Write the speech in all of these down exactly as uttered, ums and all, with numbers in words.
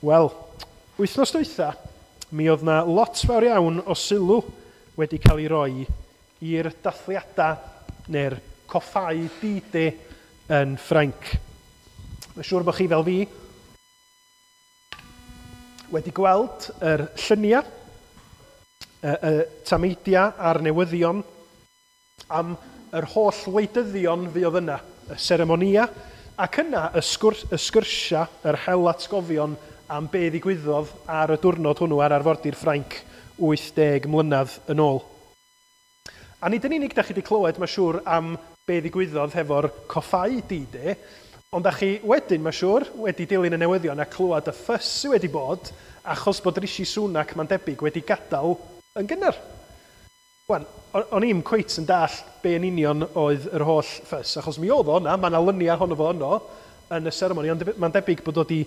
Wel, wythnos dwytha, mi oedd na lot fawr iawn o sylw wedi cael ei roi i'r dathliadau neu'r coffáu D-Day yn Ffrainc. Mae'n siŵr bod chi fel fi wedi gweld yr lluniau, y, y tameidiau a'r newyddion am yr holl wleidyddion fuodd yna, y seremonia, ac yna y, sgwrs, y sgyrsiau, yr hel atgofion am be ddigwyddodd ar y diwrnod hwnnw ar arfordir Ffrainc wyth deg mlynedd yn ôl. A nid yn unig da chi wedi clywed, mae'n siŵr, am be ddigwyddodd hefo'r coffáu D-Day, ond da chi wedyn, mae'n siŵr, wedi dilyn y newyddion a clywed y ffys sydd wedi bod achos bod Rishi Sunak, mae'n debyg, wedi gadael yn gynnar. Wan, o'n i'm cweit yn dall be yn union oedd yr holl ffys, achos mi oedd o yna, mae yna luniau ohono fo yno yn y seremoni, ond mae'n debyg bod o wedi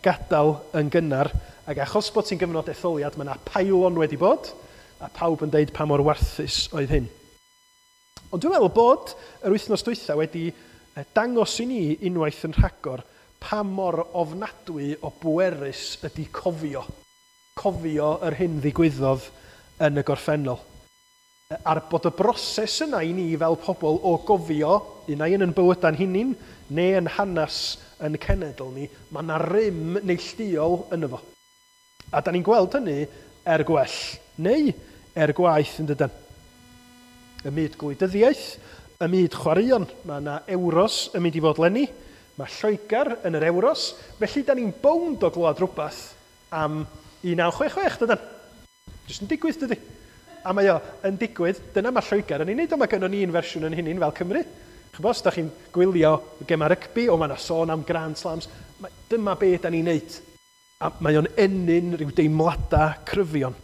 gadael yn gynnar, ac achos bod ti'n gyfnod etholiad, mae yna pile-on wedi bod, a pawb yn deud pa mor warthus oedd hyn. Ond dwi'n meddwl bod yr wythnos dwytha wedi dangos i ni unwaith yn rhagor pa mor ofnadwy o bwerus ydy cofio. Cofio yr hyn ddigwyddodd yn y gorffennol. A'r bod y broses yna i ni fel pobl o gofio, un ai yn yn bywydau'n hunain, neu yn hanes yn cenedl ni, mae yna rym neilltuol yno fo. A da ni'n gweld hynny er gwell, neu er gwaeth yn dydan. Y myd gwleidyddiaeth, y myd chwaraeon, mae yna Euros yn mynd i fod leni, mae Lloegr yn yr Euros, felly da ni'n bownd o glywed rhywbeth am un naw chwech chwech, dydan. Jyst yn digwydd, dydy. A mae o yn digwydd, dyna mae Lloegr yn ei wneud, ond mae gynnon ni un fersiwn yn hynny'n fel Cymru. Ch'bo, os da chi'n gwylio gemau rygbi, o mae yna sôn am Grand Slams, mae, dyma be da ni'n neud. A mae o'n ennyn rhyw deimladau cryfion.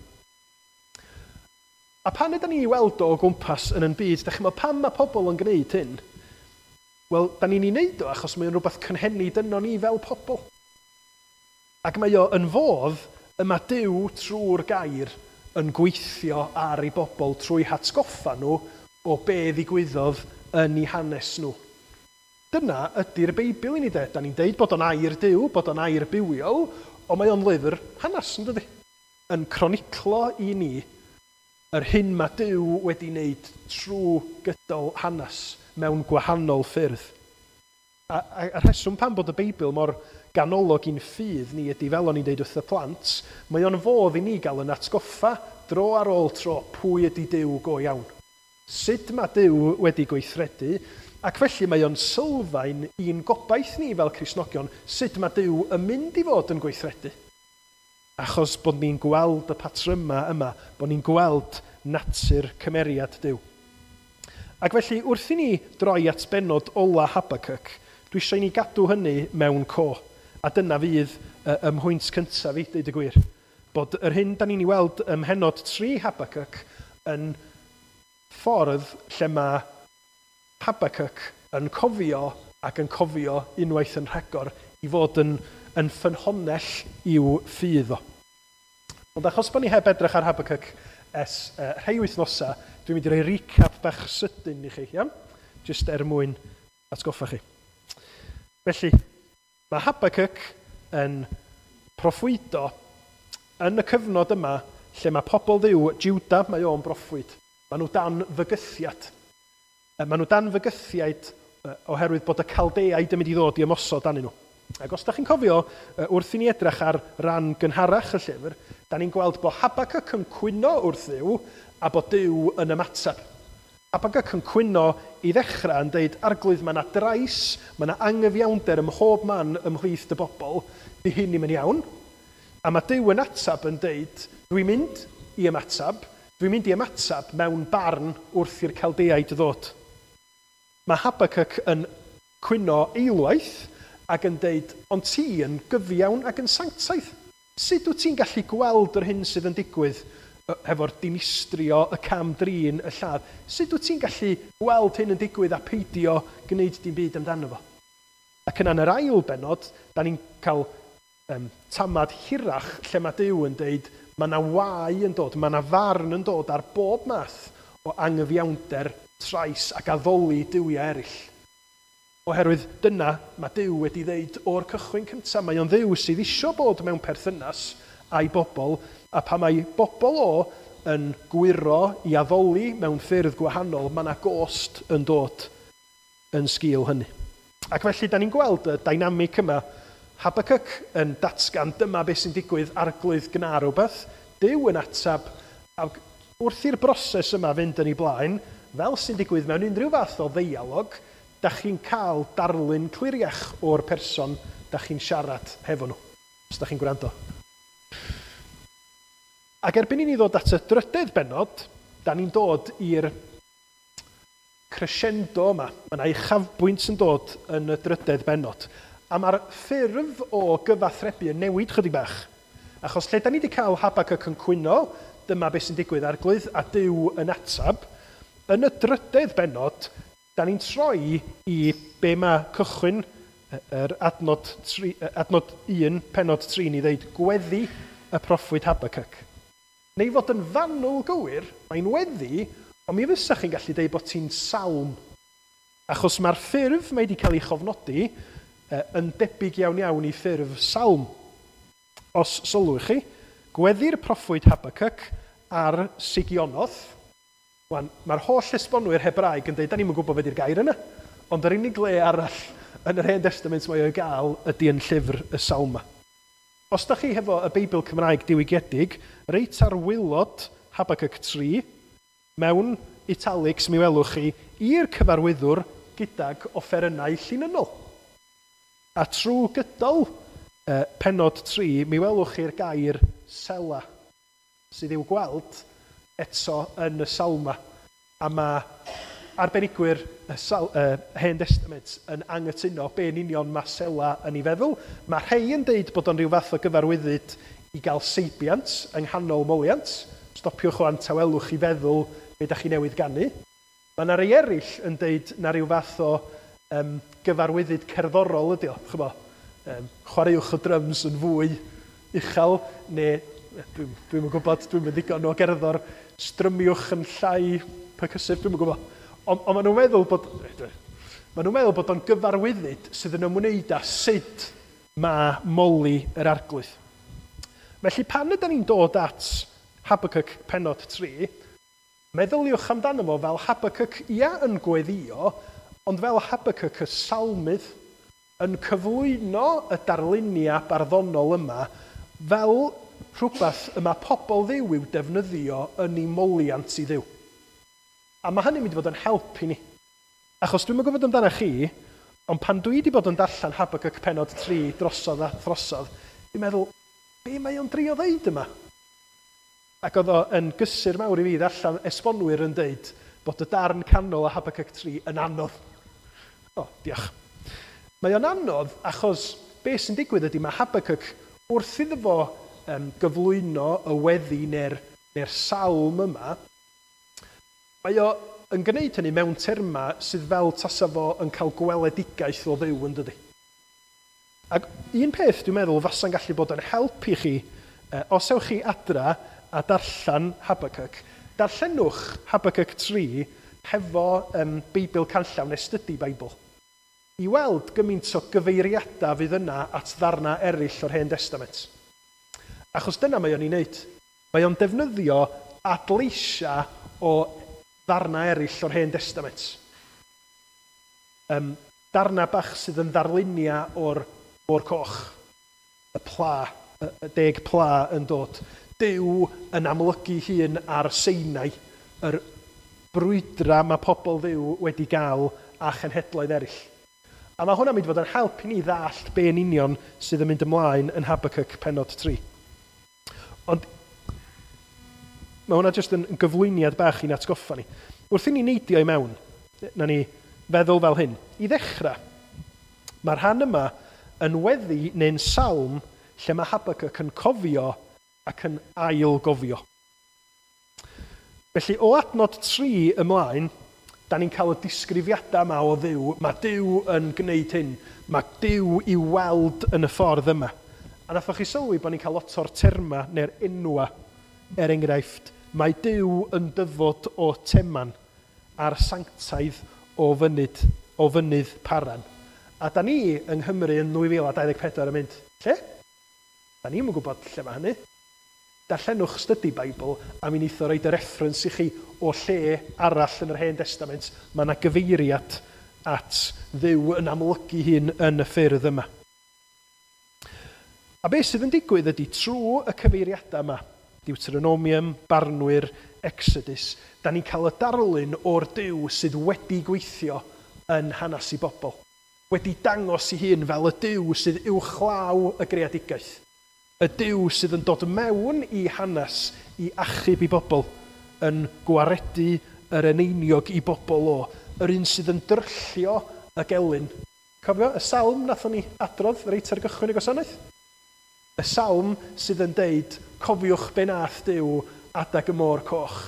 A pan ydyn ni weld o o gwmpas yn yn byd, da chi'n meddwl pam mae pobl yn gwneud hyn? Wel, da ni'n ei wneud o achos mae o'n rhywbeth cynhenid yno ni fel pobl. Ac mae o yn fodd y mae Duw trwy'r gair yn gweithio ar ei bobl trwy hatgoffa nhw o be ddigwyddodd yn eu hanes nhw. Dyna ydy'r Beibl i ni de. Da ni'n deud bod o'n air Duw, bod o'n air bywiol, ond mae o'n lyfr hanes, yn dydi? Yn croniclo i ni yr hyn mae Duw wedi wneud trwy gydol hanes mewn gwahanol ffyrdd. A, a, a rheswm pam bod y Beibl mor ganolog i'n ffydd ni ydy, fel o'n i'n deud wrth y plant, mae o'n fodd i ni gael yn atgoffa dro ar ôl tro pwy ydy Duw go iawn. Sut mae Duw wedi gweithredu, ac felly mae o'n sylfaen i'n gobaith ni fel Cristnogion, sut mae Duw yn mynd i fod yn gweithredu. Achos bod ni'n gweld y patrymau yma, bod ni'n gweld natur cymeriad Duw. Ac felly, wrth i ni droi at bennod ola Habacuc, dwi eisiau i ni gadw hynny mewn co. A dyna fydd y mhwynt cyntaf i, deud y gwir. Bod yr hyn da ni'n ei weld ym mhennod tri Habacuc yn ffordd lle mae Habacuc yn cofio ac yn cofio unwaith yn rhagor i fod yn, yn ffynhonnell i'w ffydd o. Ond achos bod ni heb edrych ar Habacuc ers uh, rhai wythnosau, dwi'n mynd i roi recap bach sydyn i chi, iawn? Jyst er mwyn atgoffa chi. Felly, mae Habacuc yn proffwydo yn y cyfnod yma lle mae pobl Dduw, Juda, mae o'n broffwyd. Maen nhw dan fygythiad. Maen nhw dan fygythiad oherwydd bod y Caldeaid yn mynd i ddod i ymosod arnyn nhw. Ac os da chi'n cofio, wrth i ni edrych ar ran gynharach y llyfr, da ni'n gweld bod Habacuc yn cwyno wrth Dduw a bod Duw yn ymateb. Habacuc yn cwyno i ddechrau yn deud, Arglwydd, mae yna drais, mae yna angyfiawnder ym mhob man ymhlith dy bobl, di hyn ddim yn iawn. A mae Duw yn ateb yn deud, dwi'n mynd i ymateb, dwi'n mynd i ymateb mewn barn wrth i'r Caldeaid ddod. Mae Habacuc yn cwyno eilwaith ac yn deud, ond ti yn gyfiawn ac yn sanctaidd. Sut wyt ti'n gallu gweld yr hyn sydd yn digwydd hefo'r dinistrio, y cam drin, y lladd? Sut wyt ti'n gallu gweld hyn yn digwydd a peidio gwneud dim byd amdano fo? Ac yna yn yr ail bennod, da ni'n cael um, tamad hirach lle mae Duw yn deud, mae yna wae yn dod, mae yna farn yn dod ar bob math o angyfiawnder, trais ac addoli duwiau eraill. Oherwydd dyna mae Duw wedi ddeud o'r cychwyn cyntaf. Mae o'n Dduw sydd isio bod mewn perthynas a'i bobl, a pa mae bobl o yn gwyro i addoli mewn ffyrdd gwahanol, mae yna gost yn dod yn sgil hynny. Ac felly, da ni'n gweld y dynamic yma. Habakkuk yn datgan dyma beth sy'n digwydd, Arglwydd gna rhywbeth. Duw yn atab, ac wrth i'r broses yma fynd yn ei blaen, fel sy'n digwydd mewn unrhyw fath o ddeialog, da chi'n cael darlun cliriach o'r person da chi'n siarad hefo nhw, os da chi'n gwrando. Ac erbyn i ni ddod at y drydedd bennod, da ni'n dod i'r crescendo yma. Mae yna uchafbwynt yn dod yn y drydedd bennod. A mae'r ffurf o gyfathrebu yn newid chydig bach. Achos lle da ni wedi cael Habakkuk yn cwyno, dyma beth sy'n digwydd, Arglwydd, a Duw yn atab, yn y drydedd bennod, da ni'n troi i be mae cychwyn yr adnod, tri, adnod un, pennod tri, ni ddeud gweddi y proffwyd Habakkuk. Neu fod yn fanwl gywir, mae'n weddi, ond mi fysa chi'n gallu deud bod ti'n salm. Achos mae'r ffurf mae wedi cael ei chofnodi yn debyg iawn iawn i ffurf salm. Os sylwch chi, gweddi'r proffwyd Habakkuk ar Sigionoth. Wan, mae'r holl esbonwyr Hebraeg yn dweud, da ni'm yn gwybod beth yw'r gair yna, ond yr unig le arall yn yr Hen Testament mae o'i gael ydy yn llyfr y Salma. Os da chi hefo y Beibl Cymraeg diwygiedig, reit ar waelod Habakkuk tri, mewn italics mi welwch chi i'r cyfarwyddwr gydag offerynnau llinynnol. A trwy gydol eh, pennod tri, mi welwch chi'r gair sela, sydd i'w gweld eto yn y Salma. A mae arbenigwyr y Sal, uh, Hen Testament yn anghytuno be'n union mae sela yn ei feddwl. Mae rhai yn deud bod o'n rhyw fath o gyfarwyddyd i gael seibiant yng nghanol moliant. Stopiwch o'n tawelwch i feddwl be da chi newydd ganu. Mae yna rhai eraill yn deud na rhyw fath o um, gyfarwyddyd cerddorol ydi o. Ch'mo, um, chwaraewch y drums yn fwy uchel, neu dwi'n dwi yn gwybod, dwi'n mynd ddigon o gerddor, strymiwch yn llai percussive, dwi'n yn gwybod. Ond on maen nhw'n meddwl bod, maen nhw'n meddwl bod o'n gyfarwyddyd sydd yn ymwneud â sut mae moli yr Arglwydd. Felly pan ydyn ni'n dod at Habakkuk pennod tri, meddyliwch amdano fo fel Habakkuk ia yn gweddio, ond fel Habakkuk y salmydd yn cyflwyno y darluniau barddonol yma fel rhywbeth y mae pobl Dduw i'w defnyddio yn ei moliant i Dduw. A mae hynny'n mynd i fod yn help i ni. Achos dwi'm yn gwybod amdano chi, ond pan dwi wedi bod yn darllen Habakkuk pennod tri drosodd a throsodd, dwi'n meddwl, be mae o'n drio ddeud yma? Ac oedd o yn gysur mawr i fi ddarllen esbonwyr yn deud bod y darn canol a Habakkuk tri yn anodd. O, diolch. Mae o'n anodd achos be sy'n digwydd ydy mae Habakkuk wrth iddo fo um, gyflwyno y weddi neu'r neu salm yma, mae o yn gwneud hynny mewn terma sydd fel tasa fo yn cael gweledigaeth o Dduw yn dydi. Ac un peth dwi'n meddwl fasa'n gallu bod yn help i chi, eh, os ewch chi adra a darllen Habakkuk, darllenwch Habakkuk tri hefo um, Beibl Canllaw neu Study Bible, i weld gymaint o gyfeiriadau fydd yna at ddarna eraill o'r Hen Testament. Achos dyna mae o'n ei wneud. Mae o'n defnyddio adleisiau o ddarna eraill o'r Hen Testament. Um, darna bach sydd yn ddarluniau o'r Môr Coch, y pla, y, y deg pla yn dod. Duw yn amlygu hun ar Sinai, yr brwydra mae pobl Dduw wedi gael a chenhedloedd eraill. A mae hwnna'n mynd i fod yn help i ni ddallt be yn union sydd yn mynd ymlaen yn Habakkuk pennod tri. Ond mae hwnna jyst yn gyflwyniad bach i'n atgoffa ni. Wrth i ni neidio i mewn, na ni feddwl fel hyn. I ddechrau, mae'r rhan yma yn weddi neu'n salm lle mae Habakkuk yn cofio ac yn ail-gofio. Felly, o adnod tri ymlaen, da ni'n cael y disgrifiadau yma o Dduw. Mae Duw yn gwneud hyn. Mae Duw i'w weld yn y ffordd yma. A nathoch chi sylwi bod ni'n cael lot o'r terma neu'r enwa. Er enghraifft, mae Duw yn dyfod o Teman a'r sanctaidd o fynyd o fynydd Paran. A da ni yng Nghymru yn nwy fil a dau ddeg pedwar yn mynd, lle? Da ni'm yn gwybod lle mae hynny. Darllenwch Study Bible a mi wneith o roid y reference i chi o lle arall yn yr Hen Testament. Mae yna gyfeiriad at Dduw yn amlygu hun yn y ffyrdd yma. A beth sydd yn digwydd ydy trwy y cyfeiriadau yma, Deuteronomium, Barnwyr, Exodus, da ni'n cael y darlun o'r Duw sydd wedi gweithio yn hanes i bobl. Wedi dangos i hun fel y Duw sydd uwchlaw y greadigaeth. Y Duw sydd yn dod mewn i hanes i achub i bobl, yn gwaredu yr eneiniog i bobl o, yr un sydd yn dryllio y gelyn. Cofio y salm nathon ni adrodd reit ar gychwyn y gwasanaeth? Y salm sydd yn deud, cofiwch be nath Duw adag y môr coch,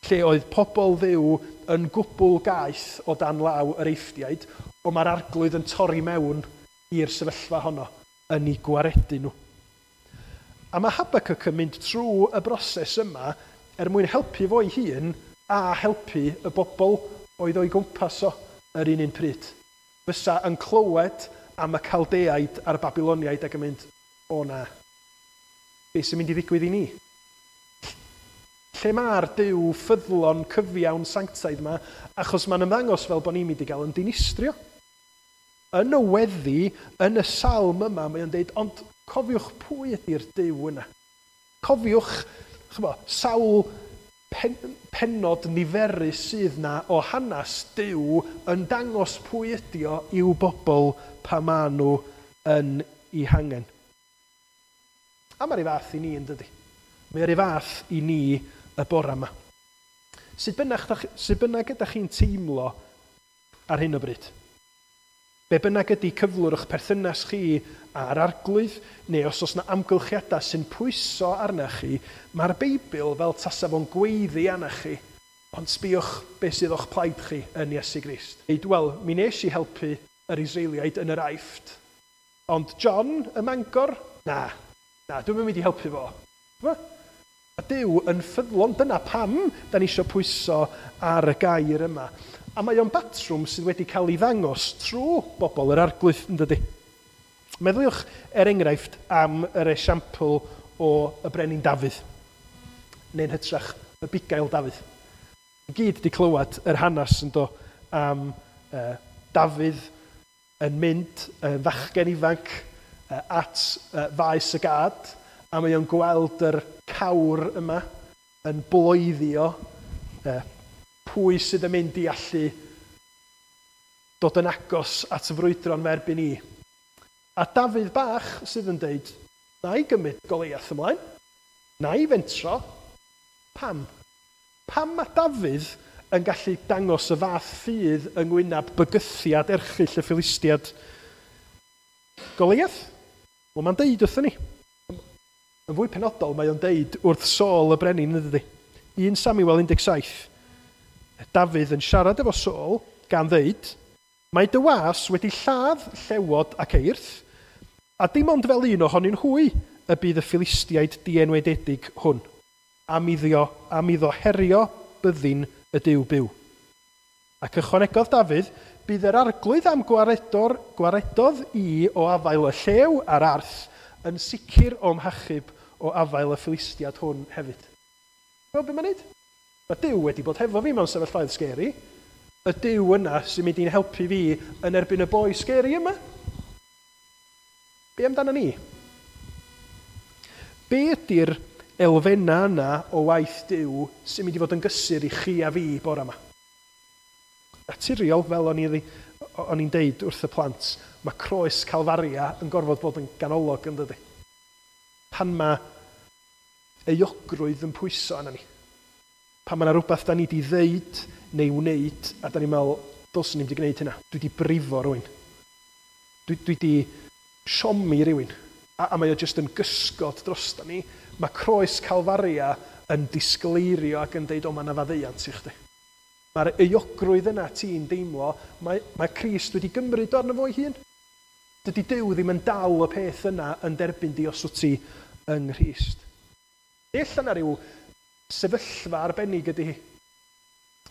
lle oedd pobl Dduw yn gwbl gaeth o dan law yr Eifftiaid, ond mae'r arglwydd yn torri mewn i'r sefyllfa honno, yn ei gwaredu nhw. A mae Habakkuk yn mynd trwy y broses yma er mwyn helpu fo'i hun a helpu y bobl oedd o'i gwmpas o yr un un pryd. Fysa yn clywed am y Caldeaid a'r Babiloniaid ac yn mynd, o na, beth sy'n mynd i ddigwydd i ni? Lle mae'r Duw ffyddlon, cyfiawn, sanctaidd yma, achos mae'n ymddangos fel bod ni'n mynd i gael yn dinistrio. Yn y weddi, yn y salm yma, mae o'n deud, ond cofiwch pwy ydy'r Duw yna. Cofiwch, ch'mo, sawl pen, pennod niferus sydd na o hanes Duw yn dangos pwy ydi o i'w bobl pa maen nhw yn ei hangen. A mae'r un fath i ni yn dydi. Mae'r un fath i ni y bore yma. Sut bynnag, sut bynnag ydych chi'n teimlo ar hyn o bryd? Be bynnag ydy cyflwr o'ch perthynas chi a'r arglwydd, neu os oes yna amgylchiadau sy'n pwyso arna chi, mae'r Beibl fel tasa fo'n gweiddi arna chi, ond sbïwch beth sydd o'ch plaid chi yn Iesu Grist. Deud, wel, mi nes i helpu yr Israeliaid yn yr Aifft, ond John y Mangor, na, na, dwi'm yn mynd i helpu fo. A Duw yn ffyddlon, dyna pam da ni eisiau pwyso ar y gair yma. A mae o'n batrwm sydd wedi cael ei ddangos trwy bobl yr arglwydd, yn dydi? Meddyliwch er enghraifft am yr esiampl o y brenin Dafydd, neu'n hytrach y bugail Dafydd. I gyd wedi clywed yr hanes yn do am uh, Dafydd yn mynd yn fachgen ifanc uh, at uh, faes y gad, a mae o'n gweld yr cawr yma yn bloeddio uh, pwy sydd yn mynd i allu dod yn agos at y frwydro'n ferbyn i. A Dafydd bach sydd yn deud, na i gymryd Goliath ymlaen, na i fentro. Pam? Pam mae Dafydd yn gallu dangos y fath ffydd yng ngwyneb bygythiad erchyll y Philistiad? Goliath? Wel, mae'n deud wrthyn ni. Yn fwy penodol, mae o'n deud wrth Saul y brenin, yn dydi? un Samuel un deg saith. Dafydd yn siarad efo Saul gan ddeud, mae dy was wedi lladd llewod ac eirth, a dim ond fel un ohonyn hwy y bydd y Philistiaid dienwededig hwn, am iddo, am iddo herio byddin y Duw byw. Ac ychwanegodd Dafydd, bydd yr arglwydd am gwaredor, gwaredodd i o afael y llew a'r arth yn sicr o'm hachub o afael y Philistiad hwn hefyd. Wel, be mae'n neud? Mae Duw wedi bod hefo fi mewn sefyllfaoedd scary. Y Duw yna sy'n mynd i'n helpu fi yn erbyn y boi scary yma. Be amdano ni? Be ydy'r elfennau yna o waith Duw sy'n mynd i fod yn gysur i chi a fi bore yma? Naturiol, fel o'n i, o'n i'n deud wrth y plant, mae croes Calfaria yn gorfod bod yn ganolog yn dydi. Pan mae euogrwydd yn pwyso arna ni. Pan mae yna rhywbeth da ni wedi ddeud neu wneud, a da ni'n meddwl, dylswn ni'm wedi gwneud hynna. Dwi wedi brifo rhywun. Dwi, dwi wedi siomi rhywun. A, a mae o jyst yn gysgod drosta ni. Mae croes Calfaria yn disgleirio ac yn deud, o, mae yna faddeuant i chdi. Mae'r euogrwydd yna ti'n deimlo, mae, mae Crist wedi gymryd arno fo'i hun. Dydy Duw ddim yn dal y peth yna yn derbyn di os wyt ti yng Nghrist. Ella na ryw sefyllfa arbennig ydy hi.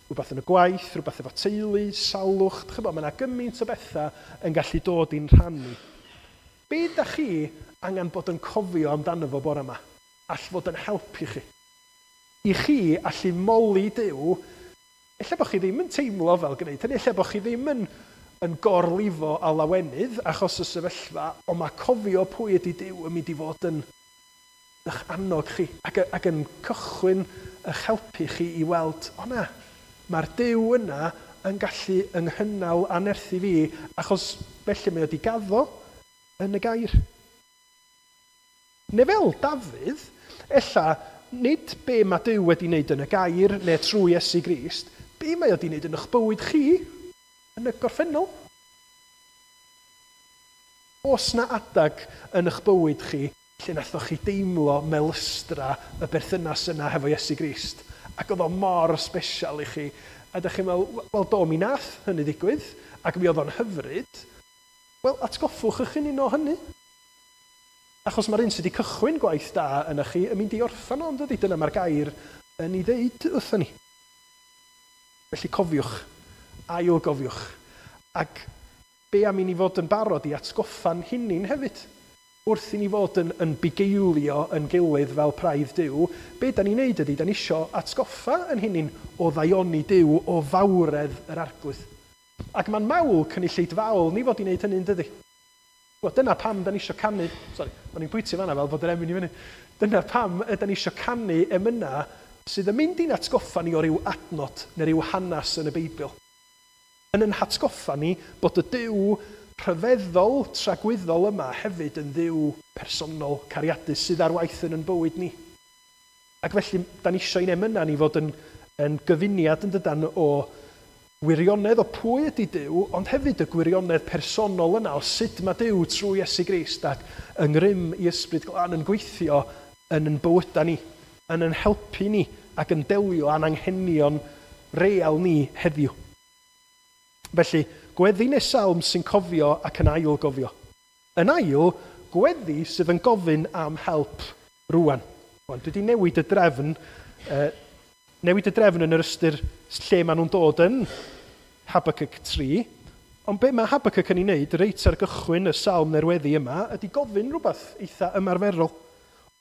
Rhywbeth yn y gwaith, rhywbeth efo teulu, salwch, chybod, mae yna gymaint o bethau yn gallu dod i'n rhannu. Be da chi angen bod yn cofio amdano fo bore yma? All fod yn helpu chi? I chi allu moli Duw, ella bod chi ddim yn teimlo fel gwneud hynny, ella bod chi ddim yn, yn gorlifo a lawenydd achos y sefyllfa, ond mae cofio pwy ydy Duw yn mynd i fod yn eich annog chi ac, ac yn cychwyn eich helpu chi i weld, o na, mae'r Duw yna yn gallu ynghynnal a nerthu fi, achos felly mae o wedi gaddo yn y gair. Neu fel Dafydd, ella nid be mae Duw wedi wneud yn y gair neu trwy Iesu Grist, be mae o wedi wneud yn eich bywyd chi yn y gorffennol. Oes na adag yn eich bywyd chi lle nathoch chi deimlo melystra y berthynas yna hefo Iesu Grist, ac oedd o mor special i chi, a ydych chi'n meddwl, wel do, mi nath hynny ddigwydd, ac mi oedd o'n hyfryd. Wel, atgoffwch eich hun o hynny. Achos mae'r un sydd wedi cychwyn gwaith da yna chi yn mynd i orffan o, dydy? Dyna mae'r gair yn ei ddeud wrthon ni. Felly cofiwch, ail gofiwch, ac be am i ni fod yn barod i atgoffa'n hunain hefyd? Wrth i ni fod yn, yn bugeilio yn gilydd fel praidd Duw, be da ni'n neud ydy, da ni isio atgoffa yn hunain o ddaioni Duw, o fawredd yr Arglwydd. Ac mae'n mawl cynulleidfaol ni fod i wneud hynny, dydy? Wel, dyna pam da ni isio canu, sorry, o'n i'n pwyntio fanna fel bod yr emyn i fyny. Dyna pam yda ni isio canu emyna sydd yn mynd i'n atgoffa ni o ryw adnod neu ryw hanes yn y Beibl. Yn yn hatgoffa ni bod y Duw rhyfeddol, tragwyddol yma hefyd yn Dduw personol, cariadus sydd ar waith yn yn bywyd ni. Ac felly, da ni eisiau i'n emyna ni fod yn, yn gyfuniad yn dydan o wirionedd o pwy ydy Duw, ond hefyd y gwirionedd personol yna o sut mae Duw trwy Iesu Grist ac yng ngrym i Ysbryd Glân yn gweithio yn yn bywydau ni, yn yn helpu ni ac yn delio â'n anghenion real ni heddiw. Felly, gweddi neu salm sy'n cofio ac yn ail gofio. Yn ail, gweddi sydd yn gofyn am help rwan. Rwan, dwi wedi newid y drefn, eh, newid y drefn yn yr ystyr lle maen nhw'n dod yn Habakkuk tri, ond be mae Habakkuk yn ei wneud reit ar gychwyn y salm neu'r weddi yma ydy gofyn rhywbeth eitha ymarferol.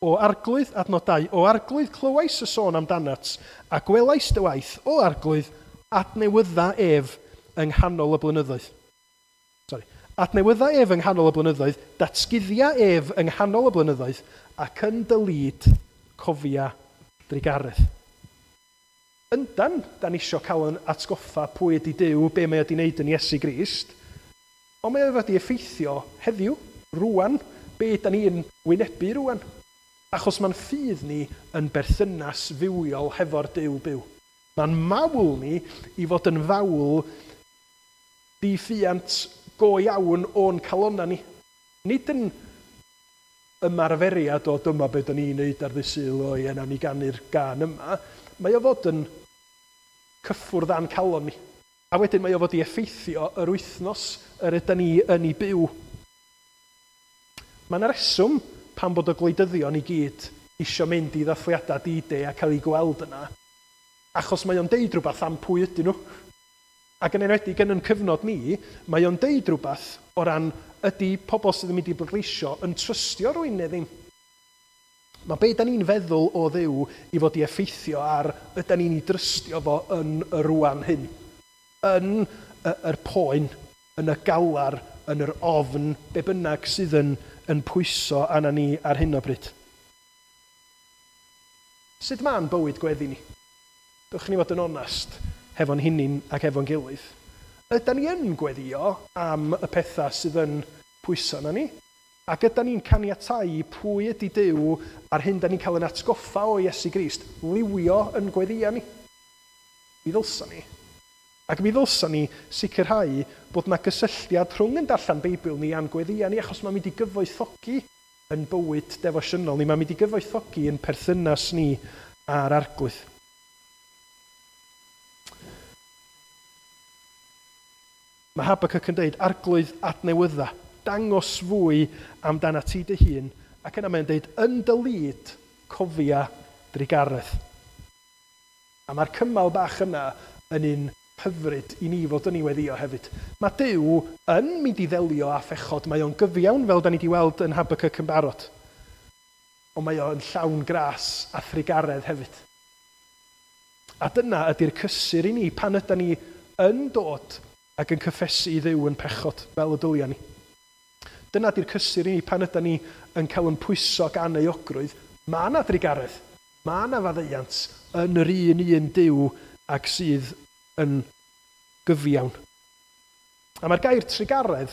O Arglwydd, adnod dau, o Arglwydd clywais y sôn amdanat, a gwelais dy waith, o Arglwydd, adnewydda ef yng nghanol y blynyddoedd. Sorry. Adnewydda ef yng nghanol y blynyddoedd, datguddia ef yng nghanol y blynyddoedd, ac yn dy lid cofia drugaredd. Yndan, da ni isio cael yn atgoffa pwy ydy Duw, be mae wedi wneud yn Iesu Grist, ond mae o wedi effeithio heddiw, rwan, be da ni'n wynebu rwan. Achos mae'n ffydd ni yn berthynas fywiol hefo'r Duw byw. Mae'n mawl ni i fod yn fawl diffuant go iawn o'n calonna ni. Nid yn ymarferiad o dyma be da ni'n neud ar ddydd Sul, o ie, nawn ni ganu'r gân yma. Mae o fod yn cyffwrdd â'n calon ni. A wedyn mae o fod i effeithio yr wythnos yr ydan ni yn ei byw. Mae yna reswm pam bod y gwleidyddion i gyd isio mynd i ddathliadau D-Day a cael eu gweld yna, achos mae o'n deud rhywbeth am pwy ydyn nhw. Ac yn enwedig yn yn cyfnod ni, mae o'n deud rhywbeth o ran ydy pobl sydd yn mynd i bleidleisio yn trystio rhywun neu ddim. Mae be da ni'n feddwl o Dduw i fod i effeithio ar ydan ni'n ei drystio fo yn y rwan hyn. Yn yr poen, yn y galar, yn yr ofn, be bynnag sydd yn, yn pwyso arna ni ar hyn o bryd. Sut ma'n bywyd gweddi ni? Dewch ni fod yn onast hefo'n hunain ac efo'n gilydd. Ydan ni yn gweddio am y pethau sydd yn pwyso arna ni? Ac ydan ni'n caniatáu pwy ydy Duw a'r hyn da ni'n cael yn atgoffa o Iesu Grist liwio yn gweddia ni? Mi ddylsa ni. Ac mi ddylsa ni sicrhau bod na gysylltiad rhwng yn darllen Beibl ni a'n gweddia ni, achos mae'n mynd i gyfoethogi yn bywyd defosiynol ni, mae'n mynd i gyfoethogi yn perthynas ni â'r Arglwydd. Mae Habakkuk yn dweud, Arglwydd adnewydda, dangos fwy amdana ti dy hun, ac yna mae'n dweud, yn dy lid, cofia drugaredd. A mae'r cymal bach yna yn un hyfryd i ni fod yn ei weddio hefyd. Mae Duw yn mynd i ddelio â phechod, mae o'n gyfiawn fel da ni wedi weld yn Habakkuk yn barod. Ond mae o'n llawn gras a thrugaredd hefyd. A dyna ydy'r cysur i ni pan ydy ni yn dod ac yn cyffesu i Dduw yn pechod fel y dylia ni. Dyna ydy'r cysur i ni pan ydy ni yn cael yn pwyso gan euogrwydd. Mae yna drugaredd, mae yna faddeuant yn yr un un Duw ac sydd yn gyfiawn. A mae'r gair trugaredd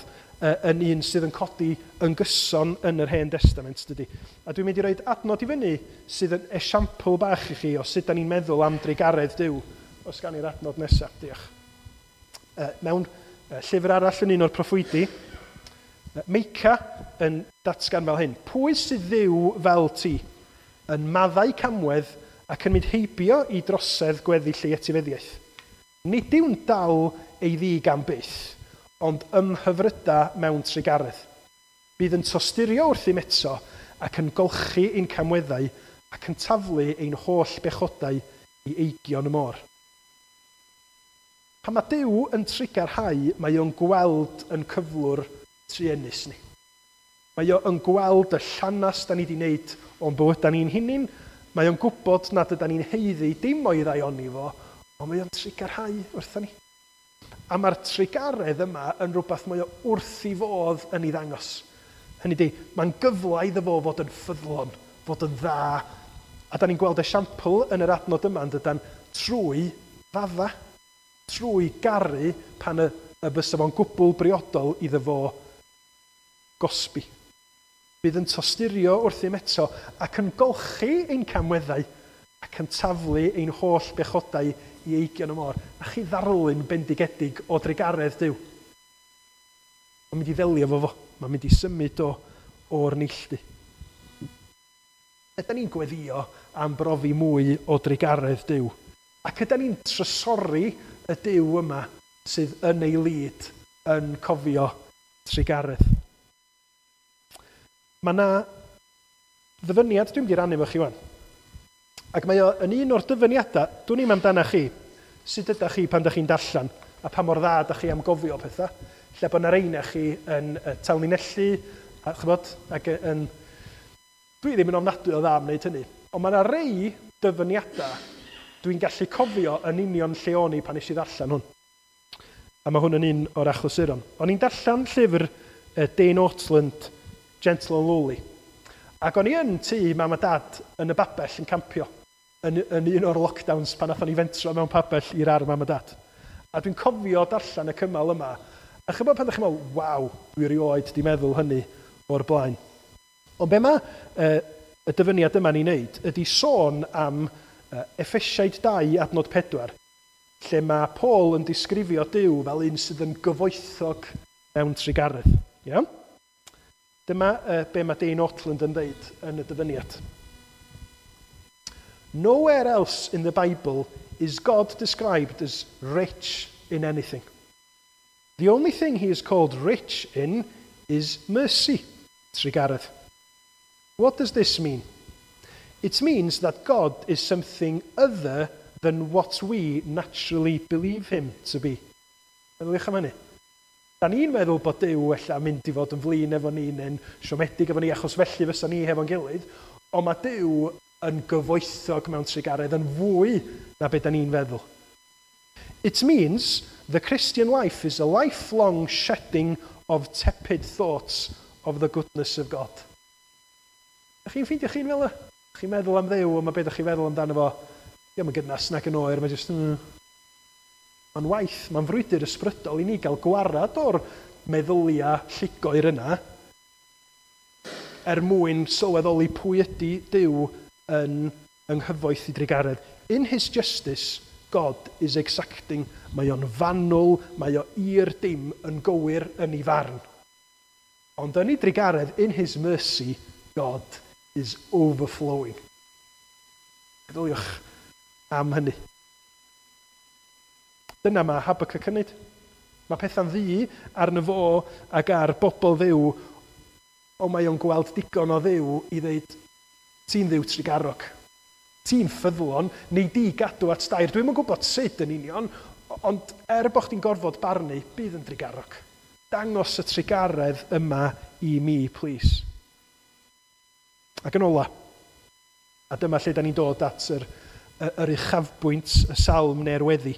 yn un sydd yn codi yn gyson yn yr Hen Testament, dydy. A dwi'n mynd i roed adnod i fyny sydd yn esiampl bach i chi o sut da ni'n meddwl am drugaredd Duw. Os gan i'r adnod nesaf, diolch. Mewn llyfr arall yn un o'r proffwydi, Meica yn datgan fel hyn. Pwy sydd Dduw fel ti, yn maddau camwedd ac yn mynd heibio i drosedd gweddill ei etifeddiaeth? Nid yw'n dal ei ddig am byth, ond ymhyfryda mewn trugaredd. Bydd yn tosturio wrthym eto ac yn golchi ein camweddau ac yn taflu ein holl bechodau i eigion y môr. Pan mae Duw yn trugarhau, mae o'n gweld yn cyflwr truenus ni. Mae o'n gweld y llanast da ni wedi wneud o'n bywydau ni'n hunain. Mae o'n gwybod nad yda ni'n haeddu dim o'i ddaioni fo, ond mae o'n trugarhau wrthon ni. A mae'r trugaredd yma yn rhywbeth mae o wrth i fodd yn ei ddangos. Hynny ydi, mae'n gyfle iddo fo fod yn ffyddlon, fod yn dda. A da ni'n gweld esiampl yn yr adnod yma yn dydan trwy fadda, trwy garu pan y, y bysa fo'n gwbl briodol iddo fo gosbi. Bydd yn tosturio wrthym eto ac yn golchi ein camweddau ac yn taflu ein holl bechodau i eigion y môr. A chi ddarlun bendigedig o drugaredd Duw. Mae'n mynd i ddelio fo fo. Mae'n mynd i symud o o'r neilltu. Ydy ni'n gweddio am brofi mwy o drugaredd Duw? Ac ydy ni'n trysori y Duw yma sydd yn ei lid yn cofio trugaredd? Mae yna ddyfyniad dwi'n mynd i rannu efo chi wan. Ac mae o yn un o'r dyfyniadau, dwn i'm amdana chi, sut ydych chi pan ydych chi'n darllen, a pa mor dda ydych chi am gofio pethau, lle bod yna reina chi yn tanlinellu, a chybod, ac yn... Dwi ddim yn ofnadwy o dda am wneud hynny, ond mae yna rei dyfyniadau dwi'n gallu cofio yn union lle o'n i pan nes i ddarllen hwn. A mae hwn yn un o'r achlysuron. O'n i'n darllen llyfr Dane Ortlund, Gentle and Lowly. Ac o'n i yn tŷ mam a dad yn y babell yn campio, yn, yn un o'r lockdowns pan nathon ni fentro mewn pabell i'r ar mam a dad. A dwi'n cofio darllen y cymal yma. A chybod pan ddech chi'n meddwl, waw, dwi erioed di meddwl hynny o'r blaen. Ond be mae uh, y dyfyniad yma ni'n neud ydy sôn am uh, Effesiaid dau adnod pedwar, lle mae Paul yn disgrifio Duw fel un sydd yn gyfoethog mewn trugaredd. Iawn? Dyma uh, be mae Dane Ortlund yn dweud yn y dyfyniad. Nowhere else in the Bible is God described as rich in anything. The only thing he is called rich in is mercy, trugaredd. What does this mean? It means that God is something other than what we naturally believe him to be. Meddyliwch am hynny. Da ni'n meddwl bod Duw ella mynd i fod yn flin efo ni neu'n siomedig efo ni achos felly fysa ni hefo'n gilydd, ond mae Duw yn gyfoethog mewn trugaredd yn fwy na beth da ni'n feddwl. It means the Christian life is a lifelong shedding of tepid thoughts of the goodness of God. Ydych chi'n ffeindio chi'n fel y? Chi'n meddwl am Dduw, ond mae beth ydych chi'n feddwl amdano fo? Diolch yn gynnas nag yn oer, mae jyst... Mm. Mae'n waith, mae'n frwydr ysbrydol i ni gael gwarad o'r meddyliau llugoer yna er mwyn sylweddoli pwy ydy Duw yn yng nghyfoeth i drugaredd. In his justice, God is exacting. Mae o'n fanwl, mae o i'r dim yn gywir yn ei farn. Ond yn ei drugaredd, in his mercy, God is overflowing. Meddyliwch am hynny. Dyna mae Habakkuk yn neud. Mae pethau'n ddu arno fo ac ar bobl Dduw, ond mae o'n gweld digon o Dduw i ddeud, ti'n Dduw trugarog. Ti'n ffyddlon, neu di gadw at dair. Dwi'm yn gwybod sut yn union, ond er bod chdi'n gorfod barnu, bydd yn drugarog. Dangos y trugaredd yma i mi, plîs. Ac yn ola, a dyma lle da ni'n dod at yr, yr uchafbwynt, y salm neu'r weddi,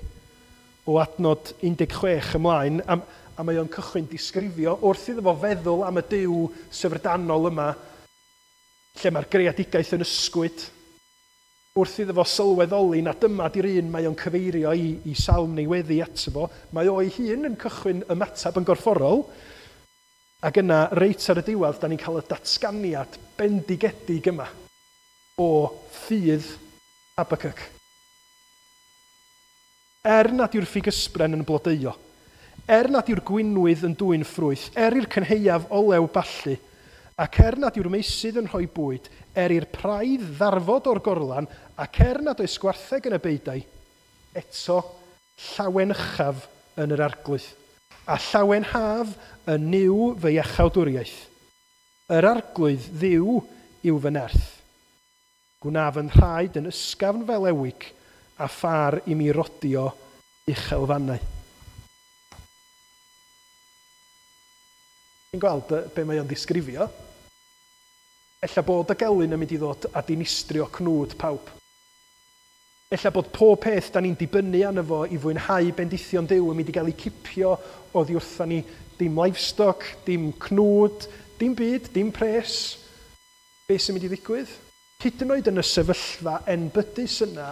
o adnod un deg chwech ymlaen, a, a mae o'n cychwyn disgrifio wrth iddo fo feddwl am y Duw syfrdanol yma, lle mae'r greadigaeth yn ysgwyd, wrth iddo fo sylweddoli na dyma di'r un mae o'n cyfeirio i, i salm neu weddi ato fo, mae o'i hun yn cychwyn ymateb yn gorfforol, ac yna, reit ar y diwedd, da ni'n cael y datganiad bendigedig yma o ffydd Habacuc. Er nad yw'r ffigysbren yn blodeuo, er nad yw'r gwinwydd yn dwyn ffrwyth, er i'r cynhaeaf olew ballu, ac er nad yw'r meysydd yn rhoi bwyd, er i'r praidd ddarfod o'r gorlan, ac er nad oes gwartheg yn y beudai, eto llawenychaf yn yr arglwydd, a llawenhaf yn Nuw fy iachawdwriaeth. Yr arglwydd Dduw yw fy nerth. Gwnaf yn nhraed yn ysgafn fel ewig, a phar i mi rodio uchelfannau. Chi'n gweld be mae o'n ddisgrifio? Ella bod y gelyn yn mynd i ddod a dinistrio cnwd pawb. Ella bod pob peth da ni'n dibynnu arno fo i fwynhau bendithion Duw yn mynd i gael ei cipio oddi wrtha ni. Dim livestock, dim cnwd, dim byd, dim pres. Be sy'n mynd i ddigwydd? Hyd yn oed yn y sefyllfa enbydus yna,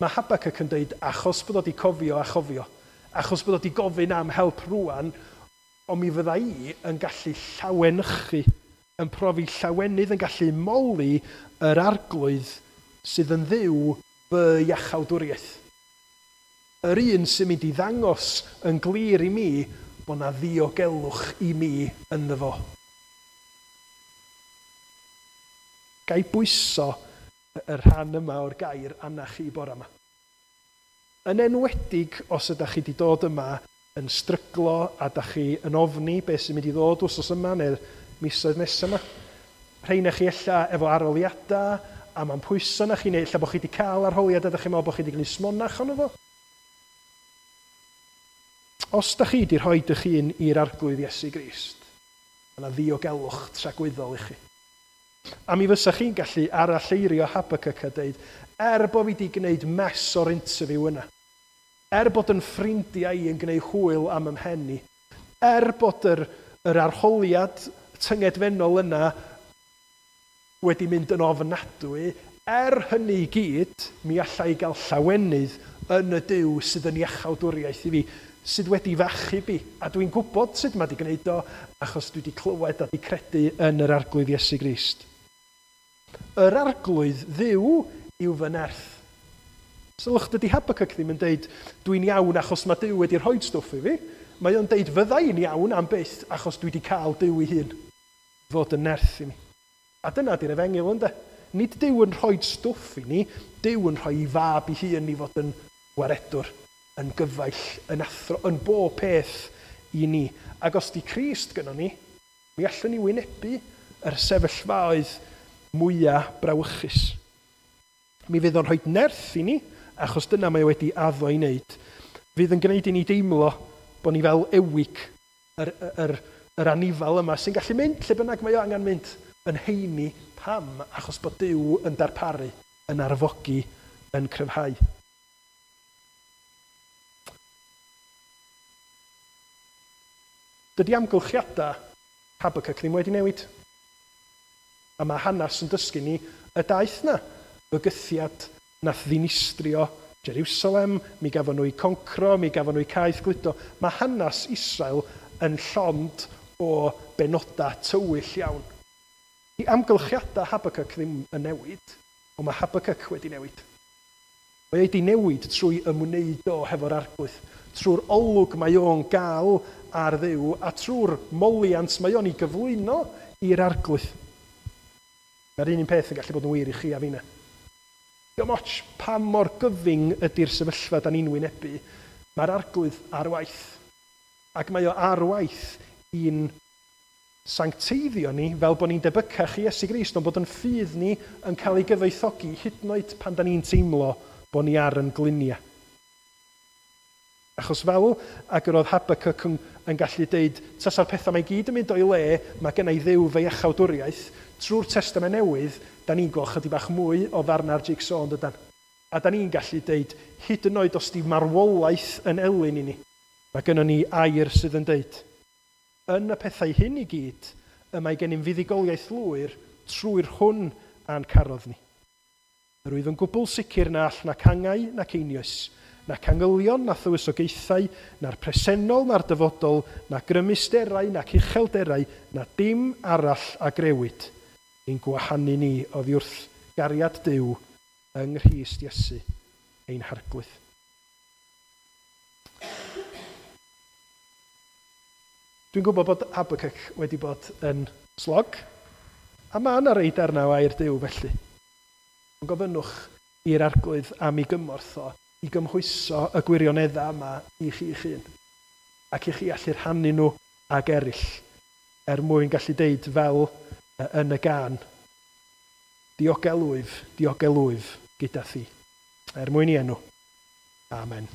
mae Habacuc yn dweud, achos bod o wedi cofio a chofio, achos bod o wedi gofyn am help rwan, ond mi fydda i yn gallu llawenychu, yn profi llawenydd, yn gallu moli yr arglwydd sydd yn Dduw fy iachawdwriaeth. Yr un sy'n mynd i ddangos yn glir i mi bod na ddiogelwch i mi ynddo fo. Ga i bwyso y rhan yma o'r gair arna chi bore yma. Yn enwedig os ydych chi wedi dod yma yn stryglo a ydych chi yn ofni beth sy'n mynd i ddod wsos yma neu'r misoedd nesaf yma. Rheina chi ella efo arholiadau a mae'n pwyso na chi, neu ella bod chi wedi cael arholiad a ydych chi'n meddwl bod chi wedi gwneud smonach ono fo. Os ydych chi wedi rhoi eich hun i'r arglwydd Iesu Grist, mae yna ddiogelwch tragwyddol i chi. A mi fysa chi'n gallu aralleirio Habacuc a dweud, er bod fi wedi gwneud mess o'r interview yna, er bod yn ffrindiau i yn gwneud hwyl am ymhen i, er bod yr, yr arholiad tyngedfennol yna wedi mynd yn ofnadwy, er hynny i gyd, mi alla i gael llawenydd yn y Duw sydd yn iachawdwriaeth i fi, sydd wedi fachub i. A dwi'n gwybod sut mae wedi gwneud o, achos dwi wedi clywed a wedi credu yn yr arglwydd Iesu Grist. Yr arglwydd Dduw yw fy nerth. Sylwch, dydy Habacuc ddim yn deud, dwi'n iawn achos mae Duw wedi rhoi stwff i fi. Mae o'n deud, fydda i'n iawn am byth achos dwi wedi cael Duw ei hun fod yn nerth i mi. A dyna di'r efengyl, ynde? Nid Duw yn rhoi stwff i ni, Duw yn rhoi ei fab ei hun i fod yn waredwr, yn gyfaill, yn athro, yn bob peth i ni. Ac os di Crist gynnon ni, mi allwn ni wynebu yr sefyllfaoedd mwyaf brawychus. Mi fydd o'n rhoi nerth i ni, achos dyna mae wedi addo i wneud. Fydd yn gwneud i ni deimlo bod ni fel ewig, yr, yr, yr anifal yma sy'n gallu mynd lle bynnag mae o angen mynd, yn heini. Pam? Achos bod Duw yn darparu, yn arfogi, yn cryfhau. Dydy amgylchiadau Habacuc ddim wedi newid. A mae hanes yn dysgu ni y daith na. Bygythiad nath ddinistrio Jerusalem, mi gafon nhw eu concro, mi gafon nhw eu caeth gludo. Mae hanes Israel yn llond o benodau tywyll iawn. I amgylchiadau Habacuc ddim yn newid, ond mae Habacuc wedi newid. Mae wedi newid trwy ymwneud o hefo'r arglwydd, trwy'r olwg mae o'n gael ar Dduw, a trwy'r moliant mae o'n ei gyflwyno i'r arglwydd. Mae'r un un peth yn gallu bod yn wir i chi a finna. Diolch ots pa mor gyfyng ydy'r sefyllfa da ni'n wynebu, mae'r arglwydd ar waith. Ac mae o ar waith i'n sancteiddio ni fel bod ni'n debycach i Iesu Grist, ond bod yn ffydd ni yn cael ei gyfoethogi hyd yn oed pan da ni'n teimlo bod ni ar yn gliniau. Achos fel ag yr oedd Habakkuk yn, yn gallu deud, tasa'r pethau mae gyd yn mynd o'i le, mae gen i Dduw fy iachawdwriaeth, trwy'r Testament Newydd, da ni'n gweld chydig bach mwy o ddarna'r jigsaw yn dydan. A da ni'n gallu deud, hyd yn oed os di marwolaeth yn elyn i ni, mae gennym ni air sydd yn deud, yn y pethau hyn i gyd, y mae gennym fuddugoliaeth lwyr trwy'r hwn a'n carodd ni. Yr wyf yn gwbl sicr na all nac angau nac einioes, nac angylion, na thywysogaethau, na'r presennol, na'r dyfodol, na grymusterau, nac uchelderau, na dim arall a grewyd, ein gwahanu ni oddi wrth gariad Duw yng Nghrist Iesu, ein Harglwydd. Dwi'n gwybod bod Habakkuk wedi bod yn slog, a mae yna rei darnau o air Duw felly. Ond gofynnwch i'r Arglwydd am ei gymorth o i gymhwyso y gwirioneddau yma i chi'ch hun, ac i chi allu rhannu nhw ag eraill, er mwyn gallu deud fel yn y gân, diogelwyf, diogelwyf gyda thi. Er mwyn i enw. Amen.